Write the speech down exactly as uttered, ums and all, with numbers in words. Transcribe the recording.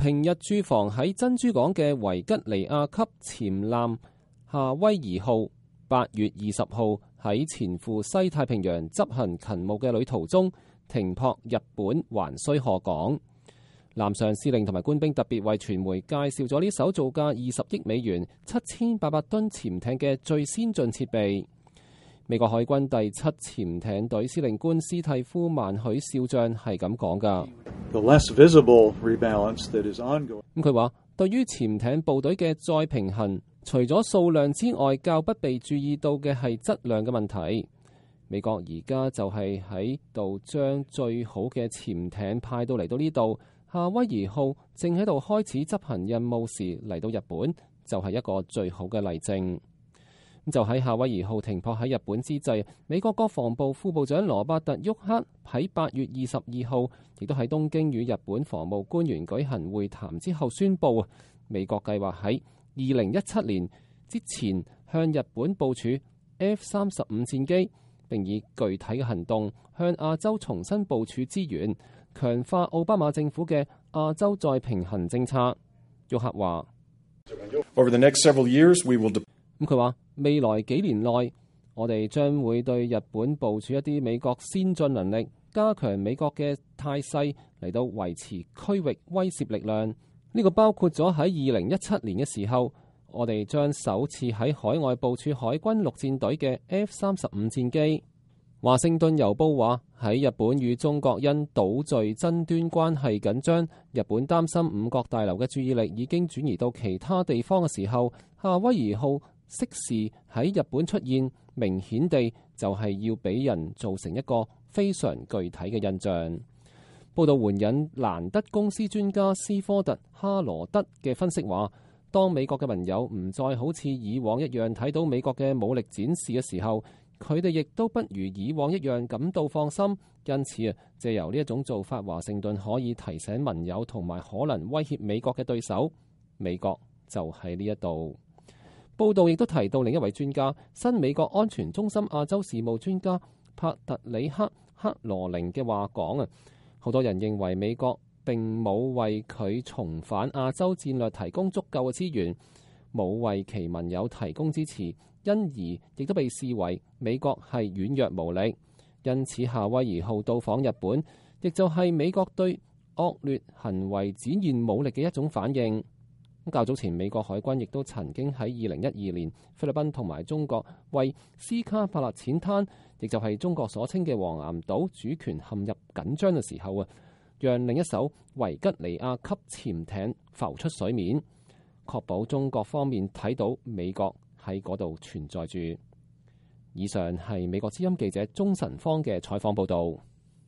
平日駐防喺珍珠港嘅維吉尼亞級潛艦夏威夷號，八月二十號喺前赴西太平洋執行勤務嘅旅途中停泊日本橫須賀港。艦上司令同埋官兵特別為傳媒介紹咗呢艘造價二十億美元、七千八百噸潛艇嘅最先進設備。美國海軍第七潛艇隊司令官斯蒂夫曼許少將係咁講㗎。咁佢話，對於潛艇部隊嘅再平衡，除咗數量之外，較不被注意到嘅係質量嘅問題。美國而家就係喺度將最好嘅潛艇派到嚟到呢度。夏威夷號正喺度開始執行任務時嚟到日本，就係一個最好嘅例證。就喺夏威夷號停泊喺日本之際，美國國防部副部長羅伯特沃克喺八月二十二號，亦都喺東京與日本防務官員舉行會談之後宣布，美國計劃喺二零一七年之前向日本部署 F 三十五戰機，並以具體嘅行動向亞洲重新部署資源，強化奧巴馬政府嘅亞洲再平衡政策。沃克話：Over the next several years, we will de-咁佢話未來幾年內，我哋將會對日本部署一啲美國先進能力，加強美國嘅態勢嚟到維持區域威懾力量。呢、這個包括咗喺二零一七年嘅時候，我哋將首次喺海外部署海軍陸戰隊嘅 F 三十五戰機。華盛頓郵報話，喺日本與中國因島嶼爭端關係緊張，日本擔心五角大樓嘅注意力已經轉移到其他地方嘅時候，夏威夷號適時喺日本出現，明顯地就係要俾人造成一個非常具體嘅印象。報道援引蘭德公司專家斯科特哈羅德嘅分析話，當美國嘅盟友唔再好似以往一樣睇到美國嘅武力展示嘅時候，佢哋亦都不如以往一樣感到放心。因此啊，借由呢一種做法，華盛頓可以提醒盟友同埋可能威脅美國嘅對手，美國就喺呢一度。報道亦都提到另一位專家，新美國安全中心亞洲事務專家帕特里克克羅寧嘅話講啊，好多人認為美國並冇為佢重返亞洲戰略提供足夠嘅資源，冇為其盟友提供支持，因而亦都被視為美國係軟弱無力。因此夏威夷號到訪日本，亦就係美國對惡劣行為展現武力嘅一種反應。較早前美國海軍亦都曾經喺二零一二年菲律賓同埋中國為斯卡帕勒淺灘，亦就係中國所稱嘅黃岩島主權陷入緊張嘅時候啊，讓另一艘維吉尼亞級潛艇浮出水面，確保中國方面睇到美國喺嗰度存在住。以上係美國之音記者鍾晨芳嘅採訪報導。